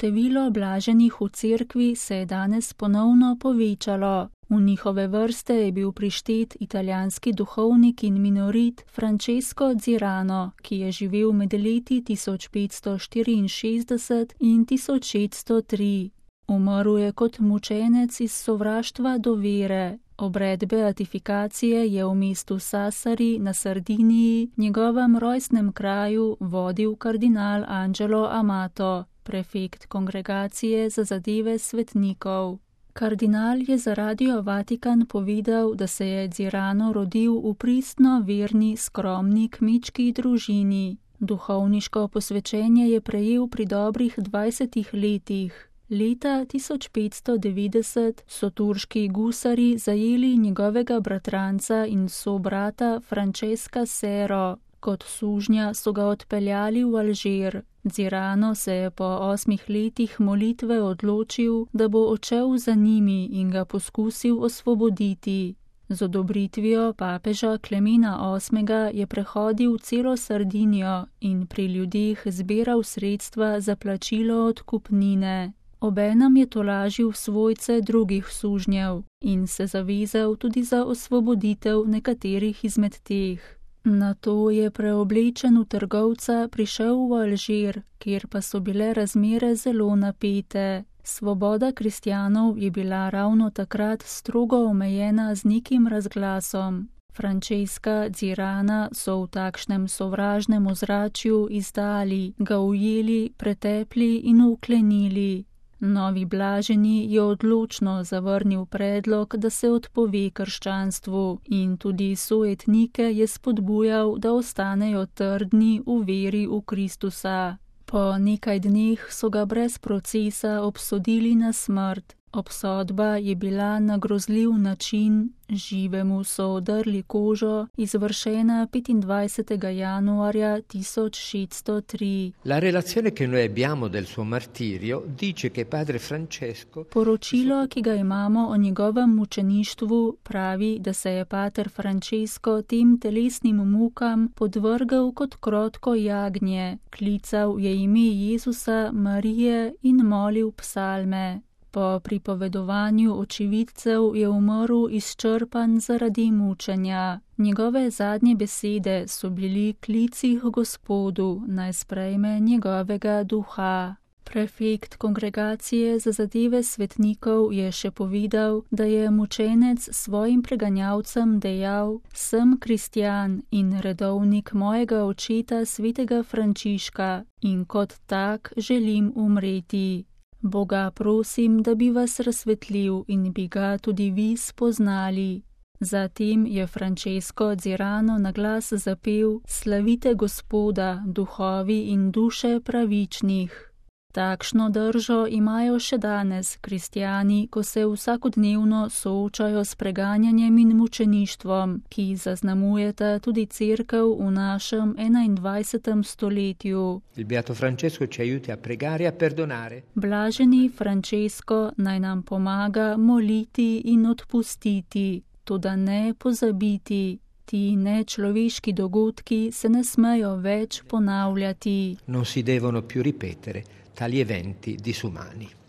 Število blaženih v cerkvi se je danes ponovno povečalo. V njihove vrste je bil prištet italijanski duhovnik in minorit Francesco Zirano, ki je živel med leti 1564 in 1603. Umrl je kot mučenec iz sovraštva do vere. Obred beatifikacije je v mestu Sassari na Sardiniji, njegovem rojstnem kraju, vodil kardinal Angelo Amato, prefekt kongregacije za zadeve svetnikov. Kardinal je za Radio Vatikan povedal, da se je Zirano rodil v pristno verni, skromni kmečki družini. Duhovniško posvečenje je prejel pri dobrih 20 letih. Leta 1590 so turški gusari zajeli njegovega bratranca in sobrata Francesca Sero. Kot sužnja so ga odpeljali v Alžir. Zirano se je po 8 letih molitve odločil, da bo odšel za njimi in ga poskusil osvoboditi. Z odobritvijo papeža Klemena VIII. Je prehodil celo Sardinijo in pri ljudeh zbiral sredstva za plačilo odkupnine. Obenem je tolažil svojce drugih sužnjev in se zavezal tudi za osvoboditev nekaterih izmed teh. Nato je preoblečen v trgovca prišel v Alžir, kjer pa so bile razmere zelo napete. Svoboda kristjanov je bila ravno takrat strogo omejena z nekim razglasom. Francesca Zirana so v takšnem sovražnem ozračju izdali, ga ujeli, pretepli in vklenili. Novi blaženi je odločno zavrnil predlog, da se odpove krščanstvu in tudi sojetnike je spodbujal, da ostanejo trdni v veri v Kristusa. Po nekaj dneh so ga brez procesa obsodili na smrt. Obsodba je bila na grozljiv način, živemu so odrli kožo, izvršena 25. januarja 1603. La relazione che noi abbiamo del suo martirio dice che padre Francesco... Poročilo, ki ga imamo o njegovem mučeništvu, pravi, da se je pater Francesco tem telesnim mukam podvrgal kot krotko jagnje, klical je ime Jezusa, Marije in molil psalme. Po pripovedovanju očividcev je umrl izčrpan zaradi mučenja. Njegove zadnje besede so bili klici k Gospodu, naj sprejme njegovega duha. Prefekt kongregacije za zadeve svetnikov je še povedal, da je mučenec svojim preganjalcem dejal: "Sem kristjan in redovnik mojega očeta svetega Frančiška in kot tak želim umreti. Boga prosim, da bi vas razsvetlil in bi ga tudi vi spoznali." Zatem je Francesco Zirano na glas zapel: "Slavite Gospoda, duhovi in duše pravičnih." Takšno držo imajo še danes kristjani, ko se vsakodnevno soočajo s preganjanjem in mučeništvom, ki zaznamujeta tudi cerkev v našem 21. stoletju. Il beato Francesco ci aiuti a pregare e a perdonare. Blaženi Francesco naj nam pomaga moliti in odpustiti, toda ne pozabiti. Ti nečloveški dogodki se ne smejo več ponavljati. Non si devono più ripetere tali eventi disumani.